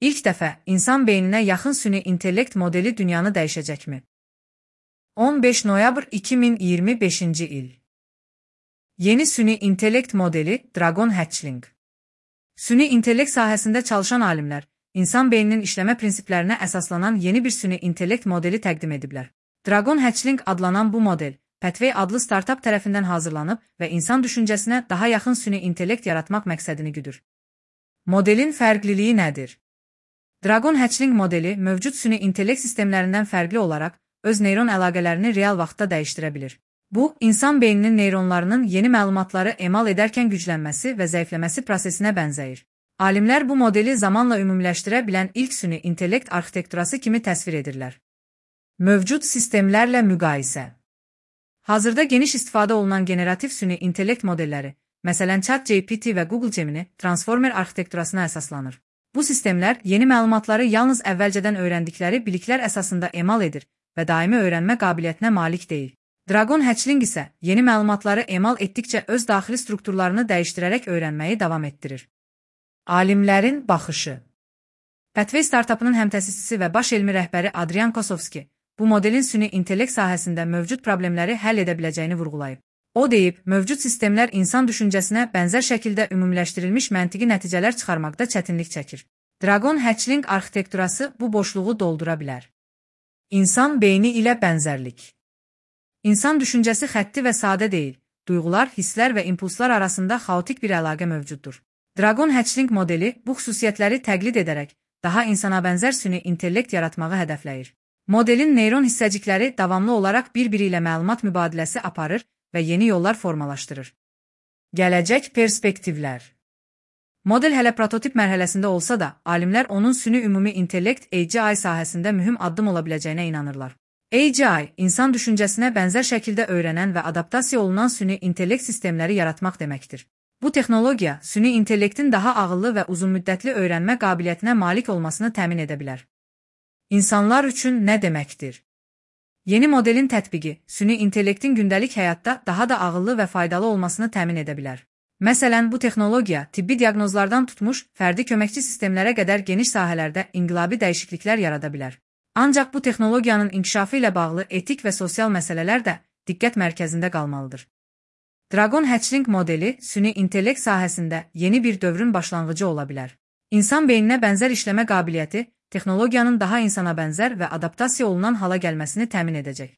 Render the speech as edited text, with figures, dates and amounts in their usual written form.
İlk dəfə insan beyninə yaxın süni intellekt modeli dünyanı dəyişəcəkmi? 15 noyabr 2025-ci il. Yeni süni intellekt modeli Dragon Hatchling. Süni intellekt sahəsində çalışan alimlər, insan beyninin işləmə prinsiplərinə əsaslanan yeni bir süni intellekt modeli təqdim ediblər. Dragon Hatchling adlanan bu model, Pathway adlı startup tərəfindən hazırlanıb və insan düşüncəsinə daha yaxın süni intellekt yaratmaq məqsədini güdür. Modelin fərqliliyi nədir? Dragon Hatchling modeli mövcud süni intellekt sistemlərindən fərqli olaraq öz neyron əlaqələrini real vaxtda dəyişdirə bilir. Bu, insan beyninin neyronlarının yeni məlumatları emal edərkən güclənməsi və zəifləməsi prosesinə bənzəyir. Alimlər bu modeli zamanla ümumiləşdirə bilən ilk süni intellekt arxitekturası kimi təsvir edirlər. Mövcud sistemlərlə müqayisə. Hazırda geniş istifadə olunan generativ süni intellekt modelləri, məsələn ChatGPT və Google Gemini, transformer arxitekturasına əsaslanır. Bu sistemlər yeni məlumatları yalnız əvvəlcədən öyrəndikləri biliklər əsasında emal edir və daimi öyrənmə qabiliyyətinə malik deyil. Dragon Hatchling isə yeni məlumatları emal etdikcə öz daxili strukturlarını dəyişdirərək öyrənməyi davam etdirir. Alimlərin baxışı. Pathway startupının həmtəsisçisi və baş elmi rəhbəri Adrian Kosovski, bu modelin süni intellekt sahəsində mövcud problemləri həll edə biləcəyini vurğulayıb. O deyib, mövcud sistemlər insan düşüncəsinə bənzər şəkildə ümumiləşdirilmiş məntiqi nəticələr çıxarmaqda çətinlik çəkir. Dragon Hatchling arxitekturası bu boşluğu doldura bilər. İnsan beyni ilə bənzərlik. İnsan düşüncəsi xətti və sadə deyil, duyğular, hisslər və impulslar arasında xaotik bir əlaqə mövcuddur. Dragon Hatchling modeli bu xüsusiyyətləri təqlid edərək daha insana bənzər süni intellekt yaratmağı hədəfləyir. Modelin neyron hissəcikləri davamlı olaraq bir-biri ilə məlumat mübadiləsi aparır və yeni yollar formalaşdırır. Gələcək perspektivlər. Model hələ prototip mərhələsində olsa da, alimlər onun süni ümumi intellekt AGI sahəsində mühüm addım ola biləcəyinə inanırlar. AGI, insan düşüncəsinə bənzər şəkildə öyrənən və adaptasiya olunan süni intellekt sistemləri yaratmaq deməkdir. Bu texnologiya, süni intellektin daha ağıllı və uzunmüddətli öyrənmə qabiliyyətinə malik olmasını təmin edə bilər. İnsanlar üçün nə deməkdir? Yeni modelin tətbiqi, süni intellektin gündəlik həyatda daha da ağıllı və faydalı olmasını təmin edə bilər. Məsələn, bu texnologiya tibbi diaqnozlardan tutmuş, fərdi köməkçi sistemlərə qədər geniş sahələrdə inqilabi dəyişikliklər yarada bilər. Ancaq bu texnologiyanın inkişafı ilə bağlı etik və sosial məsələlər də diqqət mərkəzində qalmalıdır. Dragon Hatchling modeli süni intellekt sahəsində yeni bir dövrün başlanğıcı ola bilər. İnsan beyninə bənzər işləmə qabiliyyəti texnologiyanın daha insana bənzər və adaptasiya olunan hala gəlməsini təmin edəcək.